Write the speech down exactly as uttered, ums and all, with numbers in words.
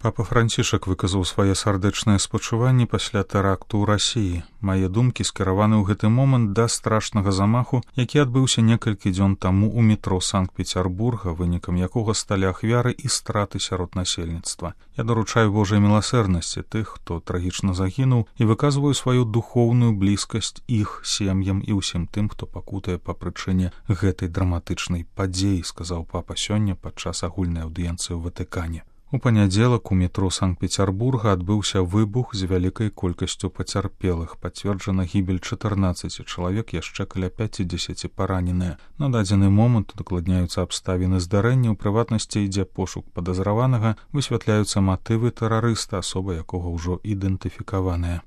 Папа Францішак выказаў свае сардэчныя спачуванні пасля тэракту ў Расіі. Мае думкі скіраваны ў гэты момант да страшнага замаху, які адбыўся некалькі дзён таму ў метро Санкт-Пецярбурга, вынікам якога сталі ахвяры і страты сярод насельніцтва. Я даручаю Божай міласэрнасці тых, хто трагічна загінуў, і выказваю сваю духоўную блізкасць іх сем'ям і ўсім тым, хто пакутае па прычыне гэтай драматычнай падзеі, сказаў папа сёння падчас агульнай аўдыенцыі ў Ватыкане. У панядзелак у метро Санкт-Пецярбурга адбыўся выбух з вялікай колькасцю пацярпелых. Пацверджана гібель чатырнаццаці чалавек, яшчэ каля пяцідзесяці параненыя. На дадзены момант удакладняюцца абставіны здарэння, у прыватнасці ідзе пошук падазраванага, высвятляюцца матывы тэрарыста, асоба якога ўжо ідэнтыфікаваная.